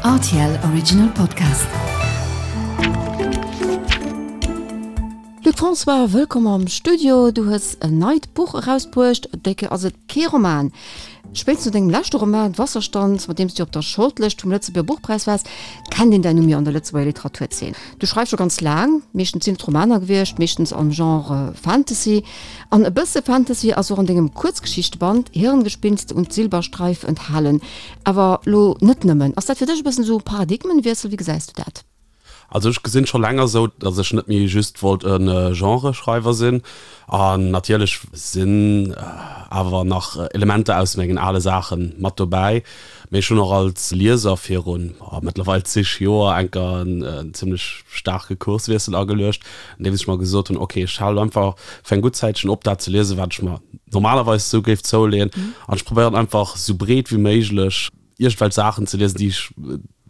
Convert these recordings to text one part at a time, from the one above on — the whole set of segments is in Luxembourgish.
Rtl Original Podcast. Luc François, wëllkomm am Studio. Du hues en neit Buch erausbruecht. Déi Kéier ass et kee Roman. Spéitstens no dengem leschte Roman Wasserstand, mat deem s du op der Shortlëscht vum Lëtzebuerger Buchpräis waars, kennt een däin Numm jo an der Lëtzebuerger Literaturzeen. Du schreifs scho ganz laang, meeschtens sinn et Romaner gewiescht, meeschtens am Genre Fantasy. An e bësse Fantasy ass och an dengem Kuerzgeschichteband Hirngespinste und Silberstreif enthalen. Awer lo net nëmmen. Ass dat fir dech e bëssen esou e Paradigmenwiessel? Wéi gesäis du dat? Also ech gesinn scho länger esou, datt ech net méi just wollt e Genreschreiwer sinn. An natierlech sinn awer nach Elementer aus mengen ale Saache mat dobäi. Mee ech hunn och als Lieser virun mëttlerweil zeg Joer enker en zimmlech staarke Kurswiessel ageluecht, andeems ech mer gesot hunn, ok, ech halen einfach fir eng gutt Zäitchen op dat ze liesen, wat ech mer normalerweis esou géif zouleeën an ech probéieren einfach esou breet wéi méiglech iergendwelch Saachen ze liesen, déi ech,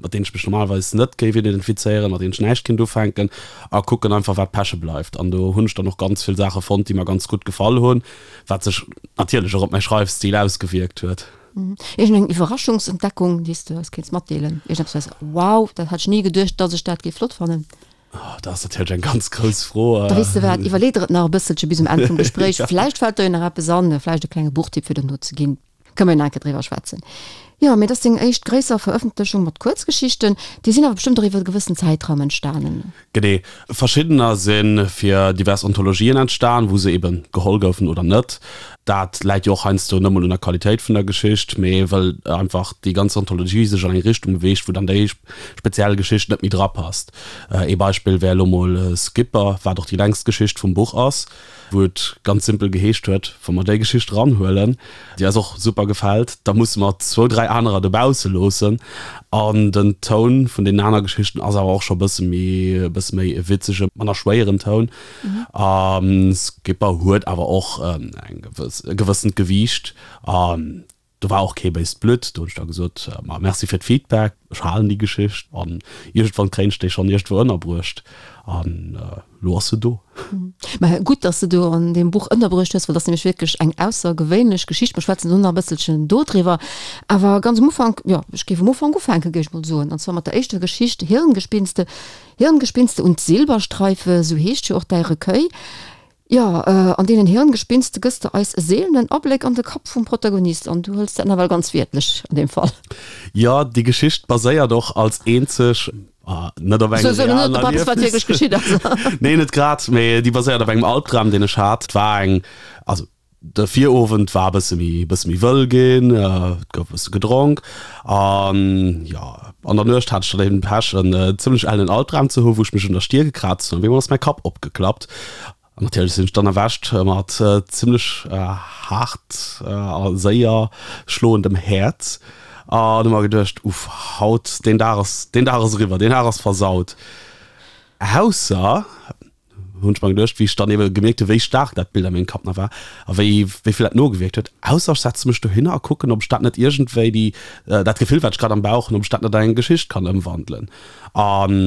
mat deenen ech mech normalerweis net géif identifizéieren, mat deenen ech näischt kéint ufänken a kucken einfach wat peche bleift. An do hunn ech dann och ganz vill Saache fonnt, déi mer ganz gutt gefall hunn, wat sech natierlech och op mäi Schreifstil ausgewierkt huet. Iergend eng Iwwerraschungsentdeckung, déi s de eis kéints matdeelen? Iergendeppes, wou s de wow, dat hat ech ni geduecht, datt ech dat géif flott fannen? Oh, dat ass natierlech eng ganz grouss Fro. Da weess de wat, iwwerlee der et nach e bësselche bis um Enn vum Gespréich. Vläicht fält der jo nach eppes an, vläicht e klenge Buchtipp fir dono ze ginn. Kënne mer jo nach eng Kéier driwwer schwätzen. Jo, mee et ass deng éischt gréisser Verëffentlechung mat Kuerzgeschichten. Déi sinn awer bestëmmt och iwwer e gewëssen Zäitraum entstanen. Genee. Verschiddener si fir divers Anthologien entstan, wou se eben geholl goufen oder net. Dat läit jo och heiansdo net mol un der Qualitéit vun der Geschicht, mee well einfach déi ganz Anthologie sech an eng Richtung beweegt, wou dann déi speziell Geschicht net méi drapasst. Ee Beispill wär elo mol Skipper, wat och déi längst Geschicht vum Buch ass. wou et ganz simpel geheescht huet, wa mer déi Geschicht eranhuelen, déi eis och super gefält, da musse mer zwou, dräi anerer dobausse loossen. An den Toun vun deenen aner Geschichten ass awer och scho e bësse méi, e bësse méi e witzege, manner schwéieren Toun. A Skipper huet awer och eng gewëss, e gewëssent Gewiicht. An do war och kee béist Blutt. Do hunn ech da gesot, ma merci fir d'Feedback, ech halen déi Geschicht an iergendwann kréien ech déi schonn iergendwou ënnerbruecht. An elo ass se do. Mä gutt, dass de do an deem Buch ënnerbruecht hues, well dat ass nämlech wierklech eng aussergewéinlech Geschicht. Mer schwätzen do nach e bësselchen dodriwwer. Awer ganz um Ufank, jo, ech géif um Ufank ufänken, géif ech mol soen, an zwar mat der éischter Geschicht, Hirngespinste, Hirngespinste und Silberstreife, sou heescht jo och däi Recueil. Jo, an deenen Hirngespinste gëss de eis e seelenen Abléck an de Kapp vum Protagonist an du hëls dat nawell ganz wiertlech an deem Fall. Jo, déi Geschicht baséiert och als eenzeg net op engem realen Erliefnis. Nee, net grad, mee déi baséiert op engem Albdram, deen ech hat. Et war eng, also de Virowend war e bësse méi, bësse méi wëll ginn, et gouf e bësse gedronk an jo, an der Nuecht hat ech dann eben Pech, en zimmlech ellen Albdram ze hu wou ech mech un der Stier gekraazt hunn. Op eemol ass mäi Kapp opgeklappt an natierlech sinn ech dann erwächt mat zimmlech haart a séier schloendem Häerz an hu mer geduecht, Uff, haut, deen Dag ass, deen Dag ass eriwwer, deen Dag ass versaut. Ausser hunn ech mer geduecht, wéi ech dann ebe gemierkt hu wéi staark dat Bild a mengem Kapp nach war a wéi wéi vill dat nogewierkt huet, ausser ech setze mech dohinner a kucken, ob ech dat net iergendwéi déi dat Gefill wat ech grad am Bauch hunn, ob ech dat net an eng Geschicht kann ëmwandelen. An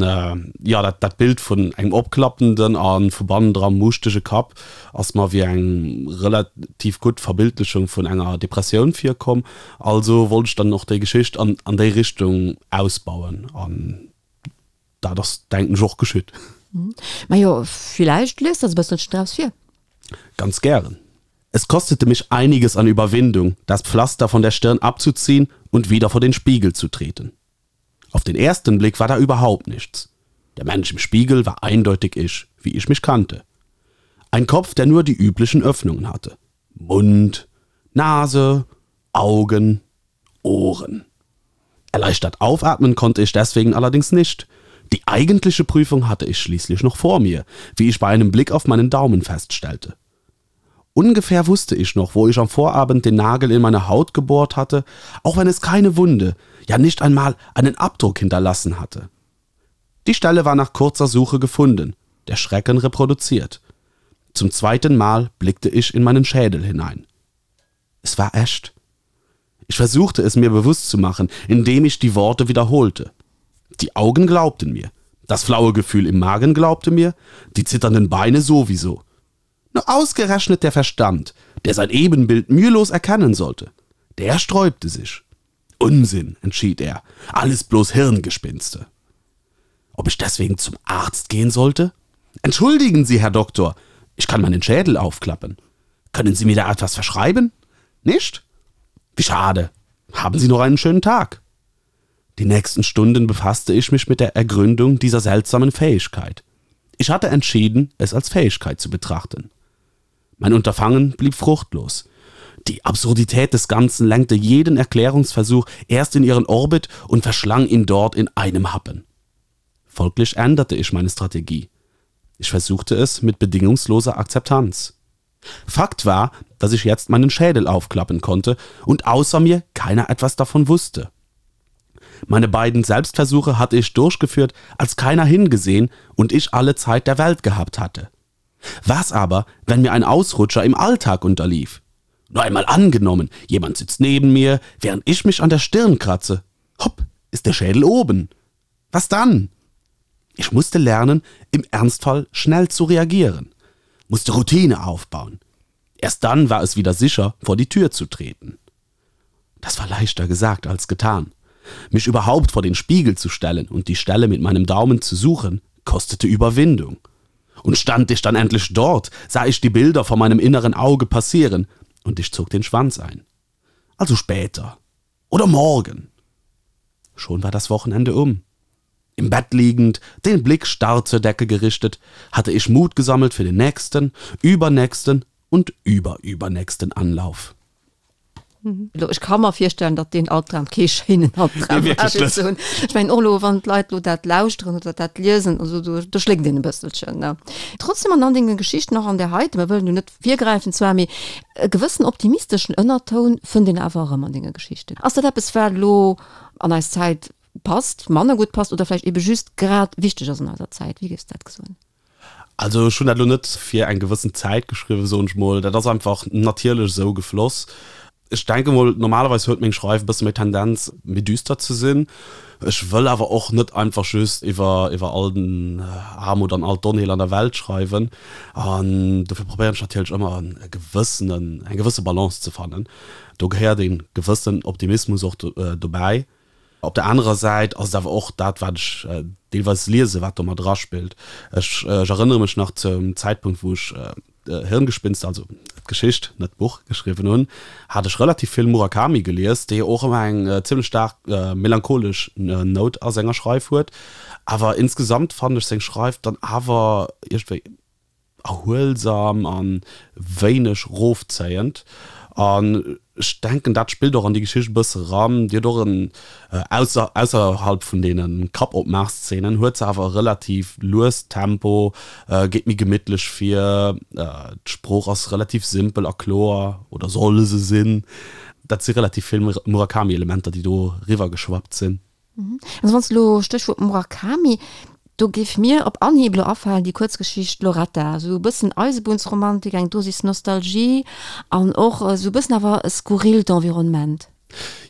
jo, dat dat Bild vun engem opklappenden a vu bannendra muuschtege Kapp ass mer wéi eng relativ gutt Verbildlechung vun enger Depressioun virkomm. Also wollt ech dann och déi Geschicht an an déi Richtung ausbauen an Dat ass, denken ech, och geschitt. Majo, villäicht liest de eis e bësselchen draus vir. Ganz gären. Es kostete mich einiges an Überwindung, das Pflaster von der Stirn abzuziehen und wieder vor den Spiegel zu treten. Auf den ersten Blick war da überhaupt nichts. Der Mensch im Spiegel war eindeutig ich, wie ich mich kannte. Ein Kopf, der nur die üblichen Öffnungen hatte. Mund, Nase, Augen, Ohren. Erleichtert aufatmen konnte ich deswegen allerdings nicht. Die eigentliche Prüfung hatte ich schließlich noch vor mir, wie ich bei einem Blick auf meinen Daumen feststellte. Ungefähr wusste ich noch, wo ich am Vorabend den Nagel in meine Haut gebohrt hatte, auch wenn es keine Wunde, ja nicht einmal einen Abdruck hinterlassen hatte. Die Stelle war nach kurzer Suche gefunden, der Schrecken reproduziert. Zum zweiten Mal blickte ich in meinen Schädel hinein. Es war echt. Ich versuchte es mir bewusst zu machen, indem ich die Worte wiederholte. Die Augen glaubten mir, das flaue Gefühl im Magen glaubte mir, die zitternden Beine sowieso. Nur ausgerechnet der Verstand, der sein Ebenbild mühelos erkennen sollte, der sträubte sich. Unsinn, entschied er, alles bloß Hirngespinste. Ob ich deswegen zum Arzt gehen sollte? Entschuldigen Sie, Herr Doktor, ich kann meinen Schädel aufklappen. Können Sie mir da etwas verschreiben? Nicht? Wie schade. Haben Sie noch einen schönen Tag. Die nächsten Stunden befasste ich mich mit der Ergründung dieser seltsamen Fähigkeit. Ich hatte entschieden, es als Fähigkeit zu betrachten. Mein Unterfangen blieb fruchtlos. Die Absurdität des Ganzen lenkte jeden Erklärungsversuch erst in ihren Orbit und verschlang ihn dort in einem Happen. Folglich änderte ich meine Strategie. Ich versuchte es mit bedingungsloser Akzeptanz. Fakt war, dass ich jetzt meinen Schädel aufklappen konnte und außer mir keiner etwas davon wusste. Meine beiden Selbstversuche hatte ich durchgeführt, als keiner hingesehen und ich alle Zeit der Welt gehabt hatte. Was aber, wenn mir ein Ausrutscher im Alltag unterlief? Nur einmal angenommen, jemand sitzt neben mir, während ich mich an der Stirn kratze. Hopp, ist der Schädel oben. Was dann? Ich musste lernen, im Ernstfall schnell zu reagieren, musste Routine aufbauen. Erst dann war es wieder sicher, vor die Tür zu treten. Das war leichter gesagt als getan. Mich überhaupt vor den Spiegel zu stellen und die Stelle mit meinem Daumen zu suchen, kostete Überwindung. Und stand ich dann endlich dort, sah ich die Bilder vor meinem inneren Auge passieren und ich zog den Schwanz ein. Also später oder morgen. Schon war das Wochenende um. Im Bett liegend, den Blick starr zur Decke gerichtet, hatte ich Mut gesammelt für den nächsten, übernächsten und überübernächsten Anlauf. Elo, ech ka mer virstellen, datt deen Albdram kee schéinen Albdram war, fir ze hunn. Ech mengen och elo, wann d'Leit elo dat lauschteren oder dat liesen, also do, do schléckt een e bësselchen, ne. Trotzdem an all denge Geschichten, och an där heiten, mer wëllen jo net virgräifen zwar, mee e gewëssen optimisteschen Ënnertoun fënnt een awer erëm an denge Geschichten. Ass dat eppes, wat elo an eis Zäit passt, manner gutt passt oder vläicht ebe just grad wichteg ass an eiser Zäit? Wéi géifs de dat soen? Also ech hunn dat elo net fir eng gewëssen Zäit geschriwwen, soen ech mol. Dat ass einfach natierlech esou gefloss. Ech denke mol, normalerweis huet meng Schreif e bësse méi Tendenz, méi düster ze sinn. Ech wëll awer och net einfach just iwwer iwwer all den Aarmut an all d'Onheel an der Welt schreiwen. An dofir probéieren ech natierlech ëmmer e gewëssenen, eng gewësse Balance ze fannen. Do gehéiert e gewëssen Optimismus och dobäi. Op der anerer Säit ass et awer och dat, wat ech deelweis liesen, wat do mat eraspillt. Ech erënnere mech nach zum Zäitpunkt, wou ech Hirngespinste, also d'Geschicht, net d'Buch, geschriwwen hunn, hat ech relativ vill Murakami gelies, dee jo och ëmmer eng zimmlech staark melancholesch Nout a senger Schreif huet. Awer insgesamt fannen ech seng Schreif dann awer iergendwéi erhuelsam a wéineg rofzéiend. An ech denken, dat spillt och an déi Geschicht e bësse eran. Déi huet och en, ausser, ausserhalb vun deene Kappopmaachszenen, huet se awer e relativ luest Tempo, geet méi gemittlech vir, d'Sprooch ass relativ simpel a kloer, oder soll se sinn. Dat si relativ vill Murakami-Elementer, déi do eriwwergeschwappt sinn. Also wann s de elo, Stéchwuert Murakami, do géif mir op Anhieb elo afalen déi Kuerzgeschicht Loretta, esou e bëssen Eisebunnsromantik, eng Dosis Nostalgie an och esou e bëssen awer e skurrilt Environnement.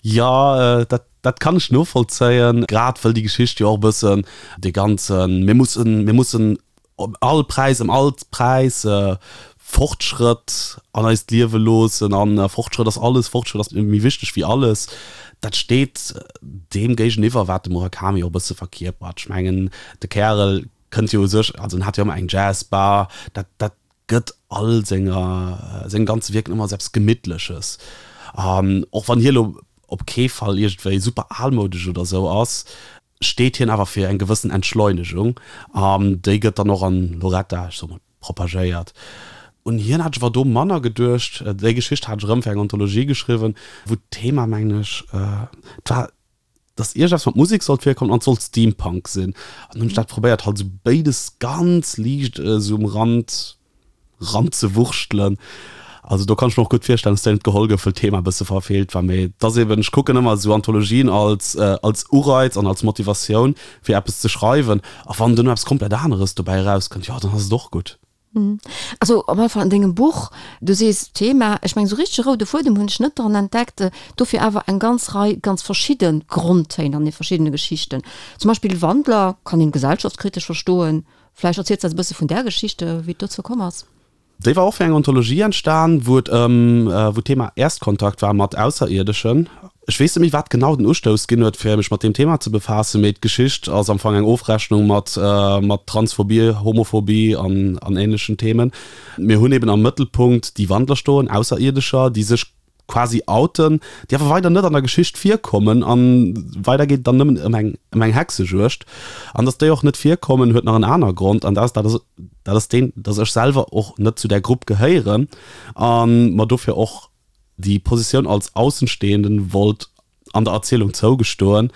Jo, dat, dat kann ech novollzéien, grad wëll déi Geschicht jo och e bëssen dee ganzen mir mussen, mir mussen Ëm all Präis, ëm all Präis Fortschrëtt an eist Liewe loossen an Fortschrëtt ass alles, Fortschrëtt ass méi wichteg wéi alles. Dat steet deem géigeniwwer, wat de Murakami och e bësse verkierpert. Ech mengen, de Kärel kënnt jo u sech, also en hat jo ëmmer eng Jazzbar, dat, dat gëtt all senger, sengem ganze Wierken ëmmer esou eppes Gemittleches. An och wann hie lo op kee Fall iergendwéi super almoudesch oder esou ass, steet hien awer fir eng gewëssen Entschleunegung an déi gëtt dann och an Loretta, ech soe mol, propagéiert. Un hien hat ech awer do manner geduecht. Déi Geschicht hat ech erëm fir eng Anthologie geschriwwen, wou d'Thema, mengen ech, et war, dass iergendeppes mat Musek sollt virkommen an et sollt Steampunk sinn. An hunn ech dat probéiert, halt esou béides ganz liicht esou um Rand ranzewurschtelen. Also do kann ech mir och gutt virstellen, dass déi net geholl gouf, wëll d'Thema e bësse verfeelt war. Mee et ass eben, ech kucken ëmmer esou Anthologien als als Ureiz an als Motivatioun fir eppes ze schreiwen. A wann duerno eppes komplett aneres dobäi erauskënnt, jo dann ass et och gutt. Also op alle Fall an dengem Buch, du sees Thema, ech mengen esou richtege roude Fuedem hunn ech net dran entdeckt, dofir awer eng ganz Rei ganz verschidde Grondtéin an de verschiddene Geschichten. Zum Beispill Wandler kann een gesellschaftskritesch verstoen, Vläicht erziels de eis e bësse vun där Geschichte, wéi et dozou komm ass. Déi war och fir eng Anthologie entstan, wou et ëm, wou d'Thema Erstkontakt war mat Ausserierdeschen. Ech weess net méi, wat genau den Ustouss ginn huet, fir mech mat deem Thema ze befaassen, mee d'Geschicht ass am Fong eng Ofrechnung mat mat Transphobie, Homophobie an an ähnlechen Themen. Mir hunn eben am Mëttelpunkt déi Wandler stoen, Ausserierdescher, déi sech quasi outen, déi awer weider net an der Geschicht virkommen an weider geet et dann nëmmen ëm eng ëm eng Hexejuegd. An datt déi och net virkommen, huet nach en aner Grond, an dat ass dat ass dat ass deen, datt ech selwer och net zu där Grupp gehéieren a mer dofir och déi Positioun als Aussenstehenden wollt an der Erzielung zougestoen.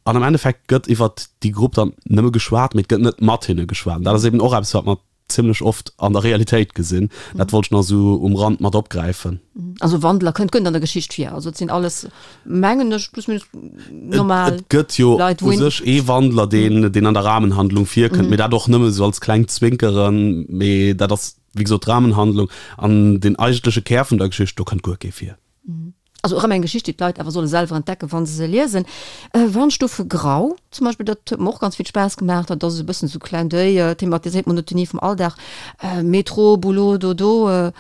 An am Endeffekt gëtt iwwert déi Grupp dann nëmme geschwat, mee et gëtt net mat hinne geschwat. An dat ass eben och eppes, wat mer zimlech oft an der Realitéit gesinn. Dat wollt ech nach esou um Rand mat opgräifen. Also Wandler kënnt gënnt an der Geschicht vir. Also et sinn alles, mengen ech, plus minus normal Leit, wou een. Et gëtt jo u sech ee Wandler, deen, deen an der Rahmenhandlung virkënnt, mee dat och nëmme esou als klengt Zwinkeren. Mee dat ass, wéi gesot, d'Rahmenhandlung. An den eigentleche Kär vun der Geschicht, do kënnt guer kee vir. Also erëm eng Geschicht, déi d'Leit awer solle selwer entdecken, wa se se liesen. Wandstufe Grau zum Beispill, dat huet mer och ganz vill Spaass gemaach. Dat ass esou e bëssen esou Clin d'oeil, thematiséiert d'Monotonie vum Alldag, Metro, Boulot, Dodo,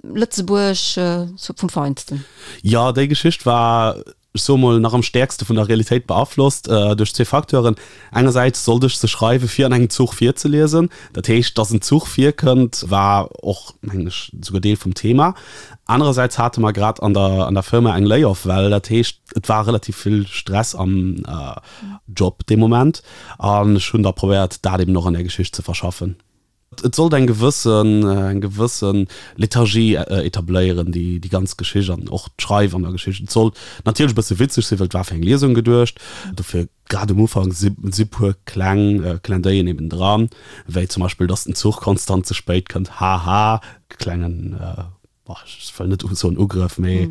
Lëtzebuerg, sou vum Feinsten. Jo, déi Geschicht war, ech soe mol, nach am stäerkste vun der Realitéit beaflosst duerch zwee Facteuren. Engersäits sollt ech se schreiwe fir an engem Zuch virzeliesen. Dat heescht, dass en Zuch virkënnt, war och, mengen ech, souguer Deel vum Thema. Anerersäits hate mer grad an der an der Firma eng Layoff-Well. Dat heescht, et war relativ vill Stress am Job dee Moment an ech hunn da probéiert, dat eben och an där Geschicht ze verschaffen. Et sollt eng gewëssen eng gewësse Lethargie etabléieren, déi déi ganz Geschicht an och d'Schreif an der Geschicht. Et sollt natierlech e bësse witzeg sinn, well et war fir eng Liesung geduecht. Dofir grad um Ufank si si puer kleng Clin d'oeillen eben dran, wéi zum Beispill, dass den Zuch konstant ze spéit kënnt, haha, klengen, ech wëll net soen Ugrëff, mee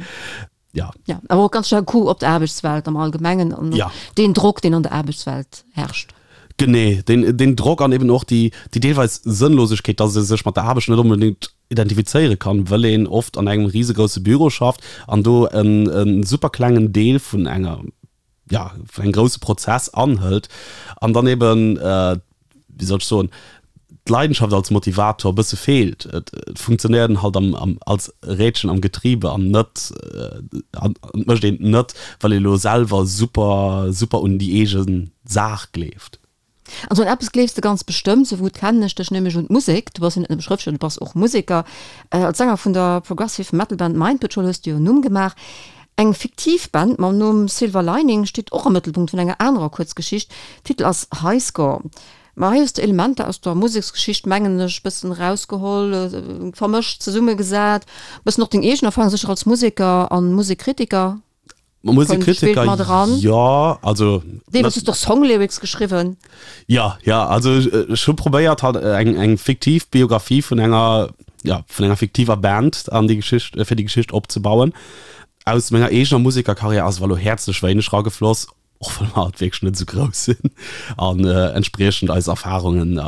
ja. Ja, awer och ganz staark Coup op d'Aarbechtswelt am Allgemengen an ja. deen Drock, deen an der Aarbechtswelt herrscht. Genee, deen, deen Drock an eben och déi, déi deelweis Sënnlosegkeet, dass ee sech mat der Aarbecht net onbedéngt identifizéiere kann, wëll een oft an engem risegrousse Büro schafft an do en, e super klengen Deel vun enger ja, vun engem grousse Prozess anhëlt an dann eben, wéi soll ech soen, d'Leidenschaft als Motivator e bësse feelt. Et funktionéiert een halt am, am, als Rädchen am Getriebe an net, an et mécht een et net, well ee lo selwer super, super un déi eege Saach gleeft. Also un eppes gleefs de ganz bestëmmt, sou gutt kennen ech dech, nämlech un d'Musek. Du bass jo net nëmme Schrëftsteller, du bass och Museker. Als Sänger vun der Progressive Metal Band Mind Patrol hues du jo en Numm gemaach. Eng fiktiv Band mam Numm Silver Lining steet och am Mëttelpunkt vun enger anerer Kuerzgeschicht. Titel ass High Score. Ma hei hues de Elementer aus der Museksgeschicht, mengen ech, bëssen erausgeholl, vermëscht, zesummegesat, bëssen och deng eegen Erfarung sécher als Museker an Musekkritiker. Musikkritiker, jo, also. Deelweis hues de och Songlyrics geschriwwen. Jo, jo, also ech hu probéiert halt eng, eng fiktiv Biografie vun enger, jo, vun enger fiktiver Band an déi Geschicht, fir déi Geschicht opzebauen. Aus menger eegener Musekerkarriär ass awer elo häerzlech wéineg ragefloss, och well mer halt wierklech net esou grouss sinn an entspriechend eis Erfarungen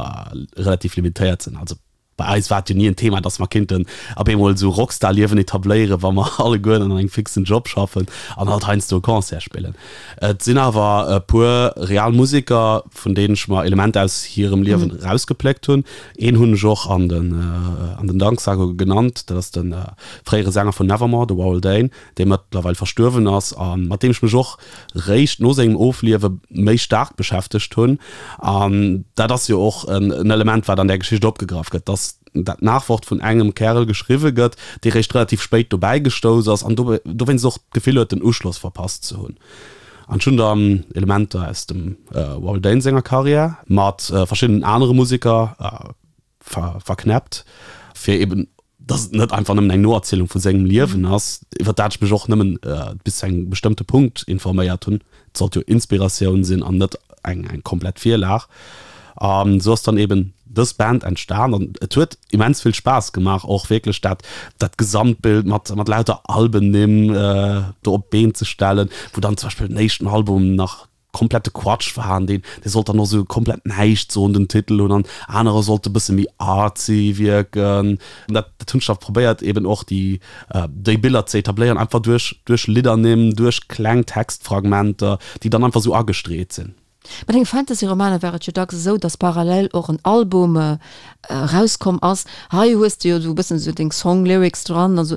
relativ limitéiert sinn. Also Bei eis war et jo ni en Thema, dass mer kéinten op eemol esou Rockstar-Liewen etabléieren, wa mer allegueren an engem fixen Job schaffen an halt heiansdo e Concert spillen. Et sinn awer e puer real Museker, vun deenen ech mer Elementer aus hirem Liewen erausgepléckt hunn. Een hunn ech och an den an den Danksagunge genannt, dat ass de fréiere Sänger vun Nevermore, de Warrel Dane, dee mëttlerweil verstuerwen ass a mat deem ech mech och réischt no sengem Ofliewe méi staark beschäftegt hunn. An dat ass jo och en Element, wat an där Geschicht opgegraff gëtt, dass dat Nachwort vun engem Kärel geschriwwe gëtt, dee réischt relativ spéit dobäi gestouss ass an dowéinst och d'Gefill huet, den Uschloss verpasst ze hunn. An ech hunn dann Elementer aus dem Warrel Dane senger Karriär mat verschiddenen anere Museker verknäppt, fir eben, dass et net einfach nëmmen eng Noerzielung vu sengem Liewen ass, iwwer dat ech mech och nëmmen bis zu engem bestëmmte Punkt informéiert hunn. Et sollt jo Inspiratioun sinn an net eng eng komplett Virlag. An esou ass dann eben dës Band entstan an et huet immens vill Spaass gemaach, och wierklech dat dat Gesamtbild mat mat lauter Albennimm do op d'Been ze stellen, wou dann zum Beispill den éischten Album nach komplette Quatsch war an deen dee sollt dann och sou komplett näischt soen den Titel hunn an anerer sollte bësse méi artsy wierken. Dat dat hunn ech da probéiert eben och déi déi Biller ze etabléieren einfach duerch duerch Liddernimm, duerch kleng Textfragmenter, déi dann einfach sou agestreet sinn. Bei denge Fantasy-Romaner war et jo dacks esou, datt parallel och en Album erauskomm ass. Hei hues de jo esou e bëssen esou deng Song-Lyrics dran. Also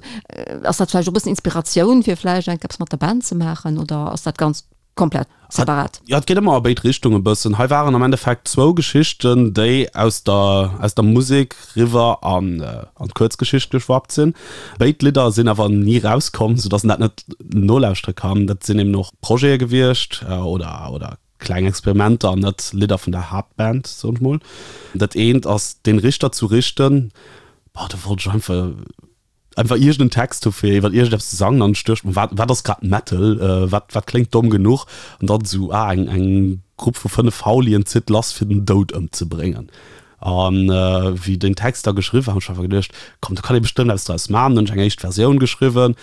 ass dat vläicht och e bëssen Inspiratioun, fir vläicht enk eppes mat der Band ze maachen oder ass dat ganz komplett separat? Jo, et geet ëmmer a béid Richtungen e bëssen. Hei waren am Endeffekt zwou Geschichten, déi aus der aus der Musek riwwer an an d'Kuerzgeschicht geschwappt sinn. Béid Lidder sinn awer ni rauskomm, soudass een dat net nolauschtere kann. Dat sinn eben och Projete gewiescht oder oder kleng Experimenter an net Lidder vun der Haaptband, soen ech mol. Dat eent ass Den Richter zu richten, boah, do wollt ech einfach einfach iergend en Text hu fir iwwer iergendeppes ze sangen an ech duecht mer, wat wat ass grad Metal, wat wat kléngt domm genuch? An dann esou, ah, eng eng Grupp vu 5 Faulien zitt lass fir den Doud ëmzebréngen. An wéi deen Text da geschriwwen war, hunn ech einfach geduecht, komm, do kann ee bestëmmt eppes draus maachen. Dann hunn ech eng éischt Versioun geschriwwen,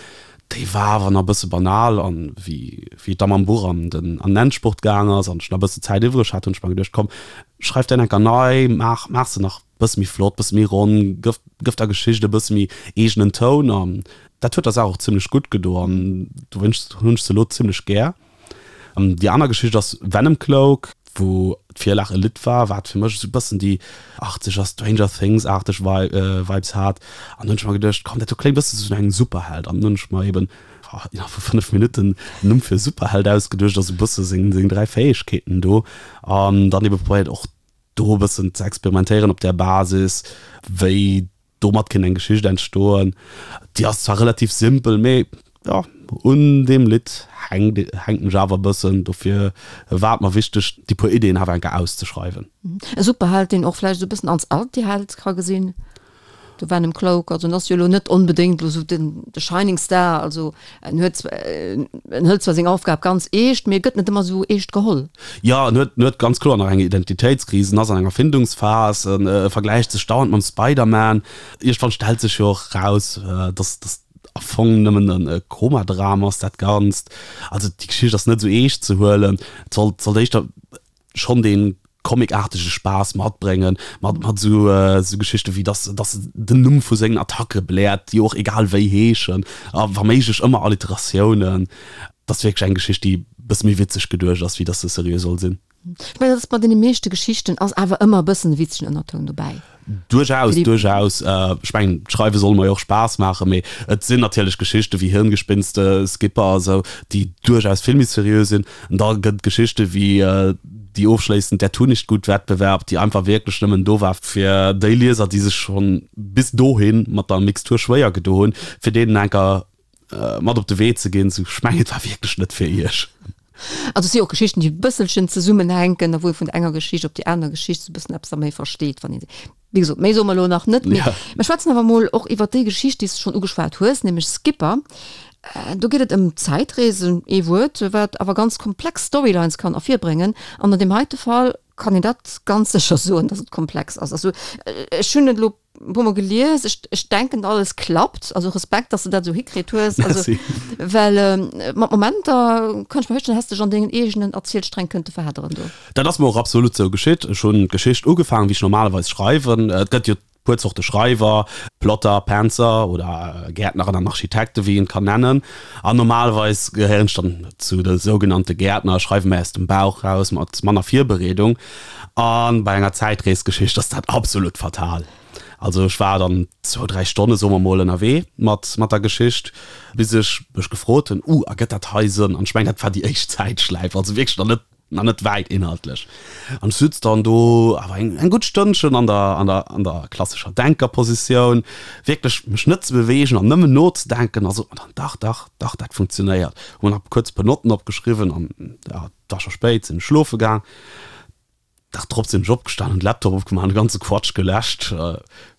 déi war awer nach e bësse banal. An wéi wéi et da mam Buch an den an den Endspurt gaang ass an ech nach e bësse Zäit iwwreg hat, hunn ech mer geduecht, komm, schreif déi enker nei, maach maach se nach bësse méi flott, bësse méi ronn, gëff gëff der Geschicht e bësse méi eegenen Toun. An dat huet der Saach och zimlech gutt gedo an dowéinst hunn ech se elo zimlech gär. An déi aner Geschicht ass Venom Cloak, wou d'Virlag e Lidd war, wat fir mech esou e bëssen déi achtzeger Stranger Things-aarteg Vibes hat. An hunn ech mer geduecht, komm, dat do kléngt e bësse sou no engem Superheld. An dann hunn ech mer eben innerhalb vu 5 Minutten en Numm fir e Superheld ausgeduecht a sou e bësse seng 3 Fäegkeeten do. An dann ebe probéiert och do e bëssen ze experimentéieren op där Basis, wéi domat kéint eng Geschicht entstoen. Déi ass zwar relativ simpel, mee jo, un deem Lidd hänkt hänken ech awer e bëssen. Dofir war et mer wichteg, déi puer Ideeën awer eng Kéier auszeschreiwen. E Superheld, deen och vläicht esou e bëssen als Antiheld ka gesinn. De Venom Cloak, also en ass jo elo net onbedéngt elo esou den de Shining Star, also en huet en hëlt zwar seng Aufgab ganz eescht, mee e gëtt net ëmmer esou eescht geholl. Jo, en huet en huet ganz kloer nach eng Identitéitskris, en ass an enger Findungsphas, en vergläicht sech dauernd mam Spider-Man. Iergendwann stellt sech jo och raus, dass dass am Fong nëmmen e Komadram ass dat Ganzt. Also déi Geschicht ass net esou eescht ze huelen, et sollt sollt éischter schonn dee comicartege Spaass matbréngen, mat mat esou esou Geschichte wéi dass dass en den Numm vu sengen Attacke bläert, déi och egal wéi heeschen, a wa méiglech ëmmer Alliteratiounen. Dat ass wierklech eng Geschicht, déi e bësse méi witzeg geduecht ass, wéi dass se seriö soll sinn. Ech mengen, dat ass bei deene meeschte Geschichten ass awer ëmmer e bëssen e witzegen Ënnertoun dobäi. Duerchaus, duerchaus. Ech mengen, d'Schreiwe soll mer jo och Spaass maachen, mee et sinn natierlech Geschichte wéi Hirngespinste, Skipper a sou, déi duerchaus vill méi seriö sinn. An da gëtt et Geschichte wéi déi ofschléissend Der Tunichtgut-Wettbewerb, déi einfach wierklech nëmmen do war, fir déi Lieser, déi sech schonn bis dohi mat der Mixtur schwéier gedo hunn, fir deenen enker mat op de Wee ze ginn. Sou, ech mengen, et war wierklech net fir iech. Also et si och Geschichten, déi e bësselchen zesummenhänken a wou ee vun der enger Geschicht op déi aner Geschicht esou e bëssen eppes da méi versteet, wann ee se, wéi gesot, méi soe mer elo nach net. Mee mer schwätzen awer emol och iwwer déi Geschicht, déi s de schonn ugeschwat hues, nämlech Skipper. Do geet et ëm Zäitreesen, ee Wuert, wat awer ganz komplex Storylines kann ervirbréngen. An an deem heite Fall kann een dat ganz sécher soen, datt et komplex ass. Also ech hunn et elo e puer mol gelies, ech, ech denken alles klappt, also Respekt, dass de dat esou hikritt hues, also well äh, mat Momenter kann ech mer virstellen, häss dech an dengen eegenen Erzielsträng kënnte verhedderen do. Dat ass mer och absolut sou geschitt. Ech hunn d'Geschicht ugefaangen, wéi ech normalerweis schreiwen. Et gëtt jo puer Zorte Schreiwer, Plotter, Pantser oder Gäertneren an Architekten, wéi een et kann nennen. An normalerweis gehéieren ech dann zu de sougenannte Gäertner, schreiwe méi aus dem Bauch raus, mat manner Virbereedung. A bei enger Zäitreesgeschicht ass dat absolut fatal. Also ech war dann zwou, dräi Stonne, soe mer mol, ënnerwee mat mat der Geschicht, bis ech mech gefrot hunn, Uh, ergëtt dat hei Sënn? An ech mengen, dat war déi éischt Zäitschläif, also wierklech nach net nach net wäit inhaltlech. An ech sutz dann do awer eng eng gutt Stënnchen an der an der an der klassescher Denkerpositioun, wierklech mech net ze beweegen an nëmmen nozedenken a sot mer dann, Dach, dach, dach, dat funktionéiert. Hu mer nach kuerz e puer Notten opgeschriwwen an ja, et war scho spéit, sinn ech schlofe gaang. Dag drop sinn ech opgestan, hunn de Laptop opgemaach an de ganze Quatsch geläscht.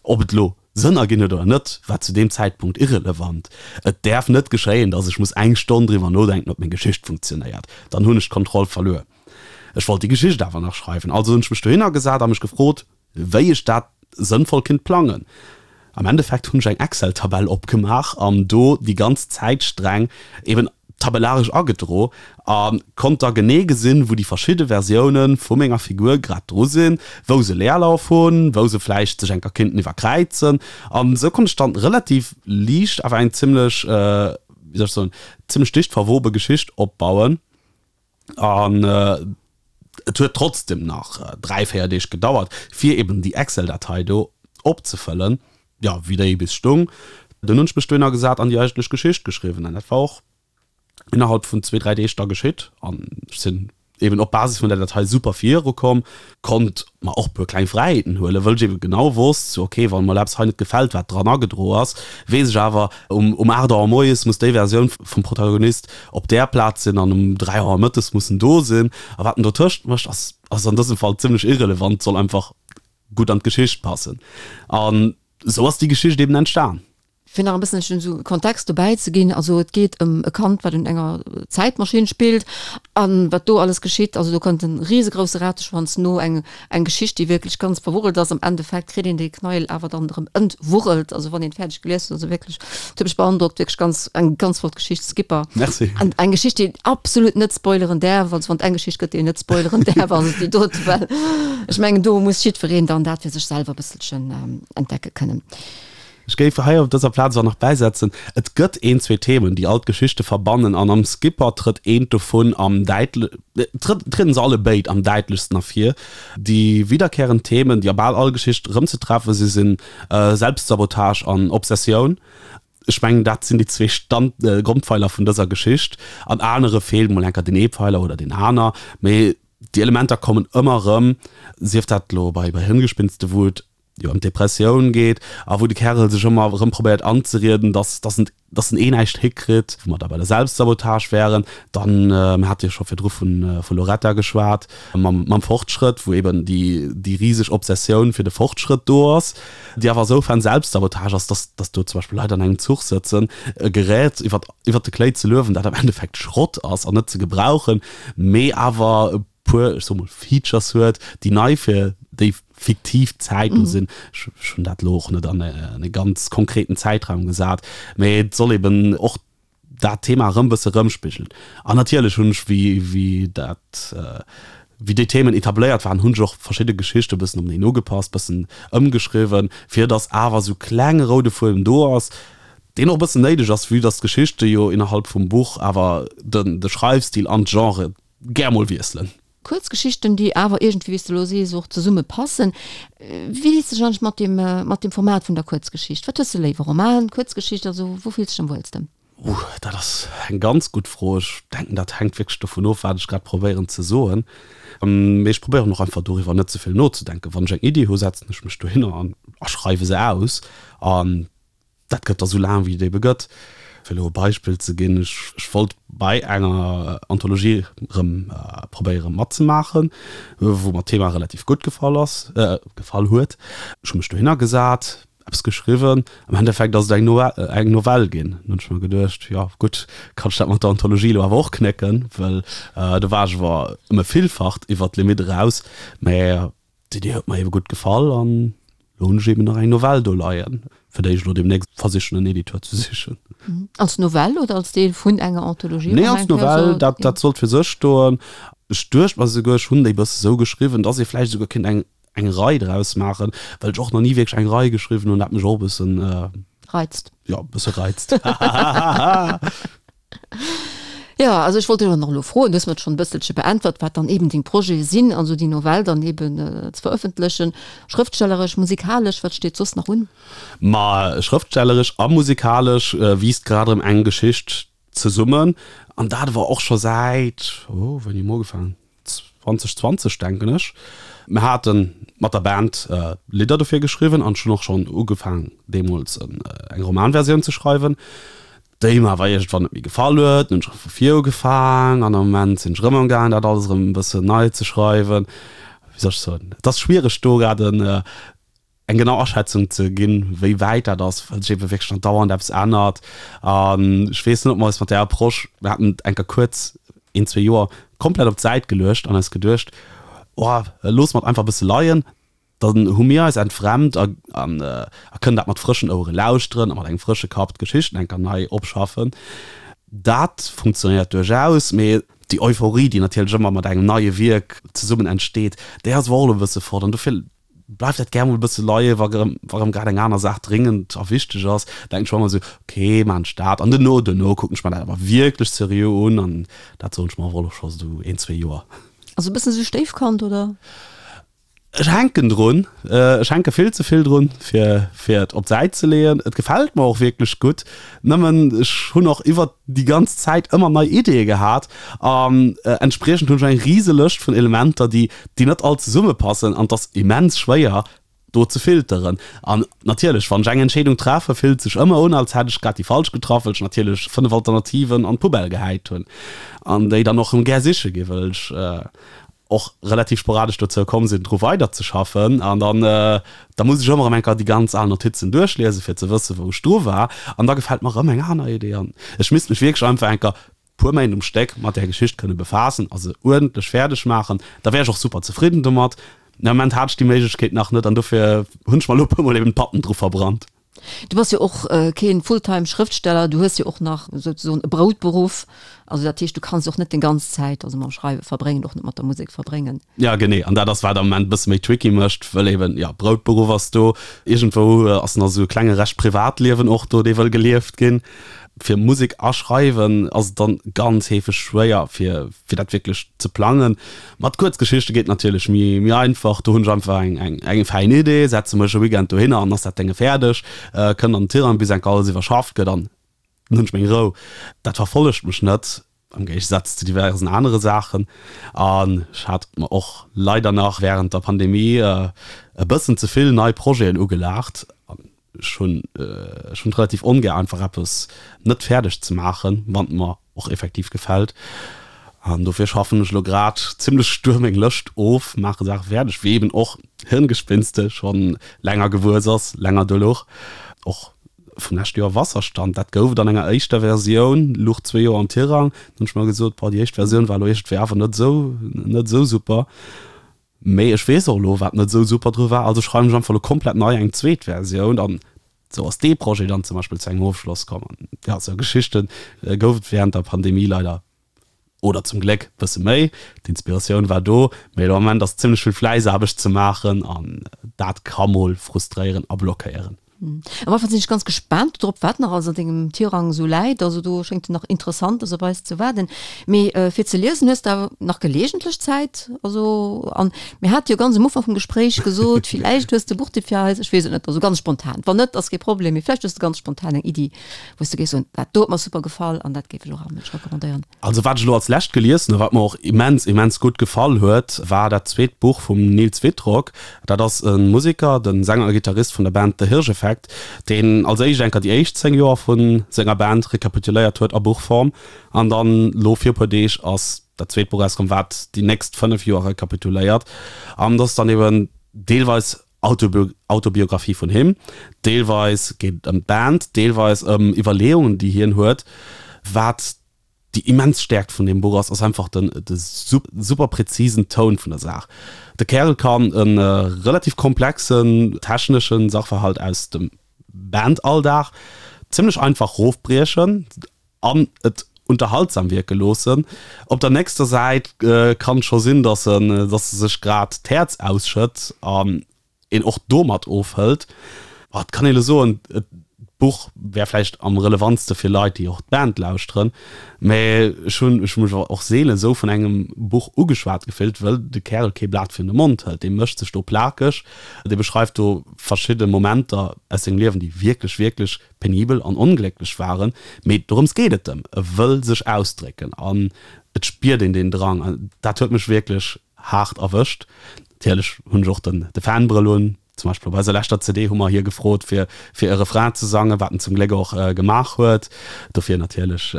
Ob et elo Sënn erginn huet oder net, war zu deem Zäitpunkt irrelevant. Et däerf net geschéien, dass ech muss eng Stonn driwwer nodenken, ob meng Geschicht funktionéiert. Dann hunn ech d'Kontroll verluer. Ech wollt déi Geschicht awer nach schreiwen, also hunn ech mech dohinner gesat a mech gefrot, wéi ech dat sënnvoll kinnt plangen. Am Endeffekt hunn ech eng Excel-Tabell opgemaach an do déi ganz Zäitsträng eben tabellaresch agedro a konnt da genee gesinn, wou déi verschidde Versioune vu menger Figur grad dru sinn, wou se Leerlauf hunn, wou se vläicht sech enker kinnten iwwerkräizen. An esou konnt ech dann relativ liicht awer eng zimmlech, wéi soll ech soen, zimmlech dicht verwobe Geschicht opbauen. An. Et huet trotzdem nach 3, 4 Deeg gedauert, fir eben déi Excel-Datei do opzefëllen, jo, wéi déi bis stung. Dunn hunn ech mech dohinner gesat an déi eigentlech Geschicht geschriwwen an dat war och innerhalb vun zwee, dräi Deeg da geschitt an ech sinn eben op Basis vun der Datei super virukomm, konnt mer och puer kleng Fräiheeten huelen, wëll ech eben genau wosst, sou ok, wann mer eppes hei net gefält, wat dran agedro ass, weess ech awer, um um 8 Auer moies muss déi Versioun vum Protagonist op där Plaz sinn an um 3 Auer mëttes muss en do sinn. A wat en dotëscht mécht, ass ass an dësem Fall zimmlech irrelevant, soll einfach gutt an d'Geschicht passen. An esou ass déi Geschicht eben entstan. Fir nach e bësselchen esou Kontext dobäi ze ginn, also et geet ëm e Kand, wat un enger Zäitmaschinn spillt an wat do alles geschitt. Also do kënnt e risegrousse Rateschwanz no, eng eng Geschicht, déi wierklech ganz verwurrelt ass. Am Endeffekt kritt een dee Knäuel awer dann erëm entwurrelt, also wann een fäerdeg gelies huet. Also wierklech, et huet mech beandrockt, wierklech ganz eng ganz flott Geschicht, Skipper. Merci. An eng Geschicht, déi een absolut net spoileren däerf. Also wann et eng Geschicht gëtt, déi een net spoileren däerf, ass et déi dote, well ech mengen, do muss jiddwereen dann dat fir sech selwer e bësselchen entdecke kënnen. Ech géif hei op dëser Plaz och nach bäisetzen, et gëtt een, zwee Themen, déi all d'Geschichte verbannen, an am Skipper trëtt eent dovun am däitle-, trëtt, trieden se alle béid am däitlechsten ervir. Déi wiederkehrend Themen, déi a bal all Geschicht erëmzetreffe si sinn Selbstsabotage an Obsessioun. Ech mengen, dat sinn déi zwee Stand-, Grondpfeiler vun dëser Geschicht. An anere feelt mol enker deen ee Pfeiler oder deen aner, mee déi Elementer kommen ëmmer erëm, sief dat elo bei bei Hirngespinste, wou et jo ëm d'Depressioun geet a wou de Kärel sech ëmmer erëm probéiert anzerieden, dass, dass en, dass en eh näischt hikritt, wou mer da bei der Selbstsabotage wären. Dann, mir hate jo scho virdru vun, vu Loretta geschwat, mam, mam Fortschrëtt, wou eben déi, déi riseg Obsessioun fir de Fortschrëtt do ass, déi awer esoufern Selbstsabotage ass, dass, dass do zum Beispill Leit an engem Zuch sëtzen, e Gerät iwwer, iwwer de Kléi ze luewen, dat am Endeffekt Schrott ass an net ze gebrauchen, mee awer e puer, ech soe mol, Features huet, déi nei fir déi fiktiv Zäit do sinn. Ech hunn dat elo och net an e ganz konkreten Zäitraum gesat, mee et soll eben och dat Thema erëm bësse erëmspigelen. An natierlech hunn ech, wéi, wéi dat, wéi déi Themen etabléiert waren, hunn ech och verschidde Geschichte bëssen openeen ugepasst, bëssen ëmgeschriwwen, fir datt awer esou klenge roude Fuedem do ass, deen och e bëssen néideg ass, vue datt d'Geschichte jo innerhalb vum Buch awer den, de Schreifstil an d'Genre gär mol wiesselen. Kuerzgeschichten, déi awer iergendwéi, wéi s de elo sees, och zesumme passen. Wéi dees de dech eigentlech mat deem, mat deem Format vun der Kuerzgeschicht? Wat hues de léiwer, Roman, Kuerzgeschicht, also wou fills de dech am wuelsten? Uh, dat ass eng ganz gutt Fro. Ech denken, dat hänkt wierklech dovun of, wat ech grad probéieren ze soen. Mee ech probéieren och einfach doriwwer net ze vill nozedenken. Wann ech eng Iddi hu, setzen ech mech dohinner an a schreiwe se aus. An Dat gëtt da sou laang wéi et ebe gëtt. Fir elo e Beispill ze ginn, ech wollt bei enger Anthologie erëm probéiere matzemaachen, wou mer d'Thema relativ gutt gefall ass, gefall huet. Ech hu mech dohinner gesat, eppes geschriwwen, am Endeffekt ass et eng eng Novell ginn. Dann hunn ech mer geduecht, jo gutt, kann ech dat mat der Anthologie elo awer och knécken, well do war ech awer ëm e Villfacht iwwer d'Limite eraus. Mä D'Idee huet mer ebe gutt gefall an elo hunn ech eben nach eng Novell do leien, fir déi ech elo deemnächst versichen en Editeur ze sichen. Als Novell oder als Deel vun enger Anthologie? Nee, als Novell, dat, dat sollt fir sech stoen. Ech duecht mer esouguer, ech hunn déi bësse sou geschriwwen, dass ee vläicht esouguer kéint eng, eng Rei draus maachen, well ech och nach ni wierklech eng Rei geschriwwen hunn, dat mech och e bëssen. Reizt. Jo, e bësse reizt. Jo, also ech wollt dech och nach elo froen, du hues mer et schonn e bësselche beäntwert, wat dann eben deng Projete sinn, also déi Novell dann eben ze verëffentlechen. Schrëftstelleresch, musikalesch, wat steet soss nach un? Ma schrëftstelleresch a musikalesch wiisst grad erëm eng Geschicht zesummen, an dat awer och scho säit, oh, wéini hu mer ugefaangen? 2020 denken ech. Mir hate mat der Band Lidder dofir geschriwwen an ech hunn och schonn ugefaangen deemools eng Romanversioun ze schreiwen, déi mer awer iergendwann net méi gefall huet. Dann hunn ech erëm vu vir ugefaang an am Moment sinn ech erëm amgaang dat alles erëm e bëssen nei ze schreiwen. Wéi soll ech soen, et ass schwiereg do grad en eng genau Aschätzung ze ginn, wéi wäit dat ass, well sech ebe wierklech andauernd eppes ännert. An ech weess net, ob mer eis mat där Approche, mir haten et eng Kéier kuerz een, zwee Joer komplett op d'Säit geluecht an eis geduecht, oh, loosse mer et einfach e bësse leien, dann hu mir eis entfremt a a kënnen dat mat frëschen Ouere lauschteren a mat engem frësche Kapp d'Geschichten eng Kéier nei opschaffen. Dat funktionéiert duerchaus, mee déi Euphorie, déi natierlech ëmmer mat engem neie Wierk zesummen entsteet, déi ass awer och elo e bësse fort an dofir bleift dat gär mol e bësse leien, wa rëm, wa rëm grad eng aner Saach dringend a wichteg ass, denken ech mer ëmmer esou, ok, maachen ech dat an duerno, duerno kucken ech mer dat awer wierklech seriö un an dat soen ech mer awer och scho esou een, zwee Joer. Also e bëssen esou Stéifkand, oder? Ech hänken drun, ech hänke vill ze vill drun, fir fir et op d'Säit ze leeën. Et gefält mer och wierklech gutt, nëmmen ech hunn och iwwert déi ganz Zäit ëmmer nei Ideeë gehat an entspriechend hunn ech eng rise Lëscht vun Elementer, déi déi net all zesummepassen an et ass immens schwéier do ze filteren. An natierlech, wann ech eng Entscheedung treffe, fillt sech ëmmer un, als hätt ech grad déi falsch getraff, well ech natierlech 5 Alternativen an d'Poubelle gehäit hunn an déi dann och erëm gär siche ginn, well ech och relativ sporadesch dozou komm sinn, dru weiderzeschaffen. An dann, da muss ech ëmmer erëm eng Kéier déi ganz al Notizen duerchliesen, fir ze wëssen, wou ech dru war. An da gefält mer erëm eng aner Idee. An ech misst mech wierklech einfach eng Kéier puer Méint um Stéck mat där Geschicht kënne befaassen a se uerdentlech fäerdeg maachen. Da wär ech och super zefridden domat. Am Moment hat ech déi Méiglechkeet nach net an dofir hunn ech mer elo e puermol eben d'Patten dru verbrannt. Du bass jo och keen Fulltime Schrëftsteller, du hues jo och nach souzesoen e Broutberuff, also dat heescht du kanns och net deng ganz Zäit also mam Schreiwe verbréngen, och net mat der Musek verbréngen. Ja genee, an dat ass wat am Moment e bësse méi tricky mécht, wëll eben jo Broutberuff ass do, iergendwou ass nach esou e klenge Rescht Privatliewen och do, dee wëll gelieft ginn. Fir Musek a Schreiwen ass et dann ganz heefeg schwéier fir fir dat wierklech ze plangen. Mat Kuerzgeschichte geet natierlech méi méi einfach, do hunn ech einfach eng eng eng fäin Idee, setze mech e Weekend dohinner an ass dat Dénge fäerdeg, kënnt an den Tirang bis enk alles iwwerschafft gëtt an dann hunn ech meng Rou. Dat verfollegt mech net, am Géigesaz zu diversen anere Saachen. An ech hat mer och leider nach wärend der Pandemie e bëssen ze vill nei Projeten ugelaacht. Ech hunn ech hunn et relativ ongär einfach eppes net fäerdeg ze maachen, wann et mer och effektiv gefält. An dofir schaffen ech elo grad zimmlech stuer meng Lëscht of, maache Saache fäerdeg, wéi eben och Hirngespinste schonn länger gewuess ass, länger do louch. Och vum leschte Joer Wasserstand, dat gouf et an enger éischter Versioun, luch zwee Joer am Tirang. Dann hunn ech mer gesot, boah, déi éischt Versioun war elo iergendwéi awer net esou net esou super. Mee ech weess och elo, wat net esou super dru war, also schreiwen ech einfach elo komplett nei eng zweet Versioun an esou ass dee Projet dann zum Beispill zu engem Ofschloss komm. An jo, esou Geschichte gouf et während der Pandemie leider, oder zum Gléck, bësse méi. D'Inspiratioun war do, mee elo am Moment ass zimmlech vill Fläissaarbecht ze maachen an dat ka mol frustréieren a blockéieren. Am Ufank sinn ech ganz gespaant drop, wat nach alles an dengem Tirang esou läit. Also do schéngt nach Interessantes op eis ze waarden. Mee fir ze liesen hues de awer nach geleegentlech Zäit. Also an mir hate jo ganz um Ufank vum Gespréich gesot, villäicht hues de e Buchtipp fir eis. Ech weess et net, also ganz spontan. Wann net, ass kee Problem, mee vläicht hues de ganz spontan eng Iddi, wou s de géifs soen, dat do huet mer super gefall an dat géif ech och all Mënsch recommandéieren. Also wat ech elo als lescht gelies hunn a wat mer och immens, immens gutt gefall huet, war dat zweet Buch vum Nils Wittrock. Dat ass e Museker, de Sänger a Gittarist vun der Band The Hirsch Effekt, deen als éischt enker déi éischt 10 Joer vu senger Band rekapituléiert huet a Buchform an dann elo vir e puer Deeg ass dat zweet Buch erauskomm, wat déi nächst 5 Joer rekapituléiert an dat ass dann eben deelweis Autobiographie vun him, deelweis geet et ëm d'Band, deelweis ëm Iwwerleeungen, déi hien huet. Wat déi immens Stäerkt vun deem Buch ass, ass einfach den de super präzisen Toun vun der Saach. De Kärel kann e relativ komplexen techneschen Sachverhalt aus dem Bandalldag zimmlech einfach rofbriechen an et unterhaltsam wierke loossen. Op der nächster Säit kann et scho sinn, dass en dass e sech grad d'Häerz ausschëtt an een och domat ofhëlt. Et kann een elo soen, d'Buch wär vläicht am relevantste fir Leit, déi och d'Band lauschteren, mä ech hunn ech hu mech och seelen esou vun engem Buch ugeschwat gefillt, wëll de Kärel kee Blat virun de Mond hëlt. Dee mécht sech do plakeg, dee beschreift do verschidde Momenter aus sengem Liewen, déi wierklech, wierklech penibel an onglécklech waren, mee dorëms geet et em, e wëll sech ausdrécken an et spiert een deen Drang an dat huet mech wierklech haart erwëscht. Natierlech hunn ech och den de Fanbrëll un, zum Beispill op eiser leschter CD hu mer hie gefrot fir fir e Refrain ze sangen, wat en zum Gléck och gemaach huet. Dofir natierlech,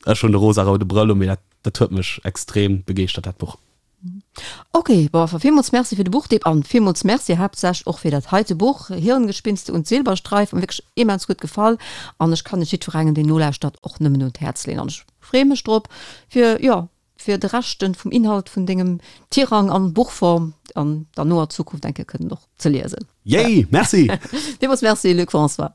ech hunn de rosaroude Brëll un, mee dat dat huet mech extrem begeeschtert dat Buch. Ok, bon, enfin villmools Merci fir de Buchtipp an villmools Merci haaptsächlech och fir dat heite Buch, Hirngespinste und Silberstreif, mir wierklech immens gutt gefall an ech kann et jiddwerengem deen nolauschtert och nëmmen un d'Häerz leeën an ech freeë mech drop fir, jo, fir de Rescht vum Inhalt vun dengem Tirang an Buchform an der noer Zukunft eng Kéier kënnen och ze liesen. Yay, merci! Villmools Merci Luc François.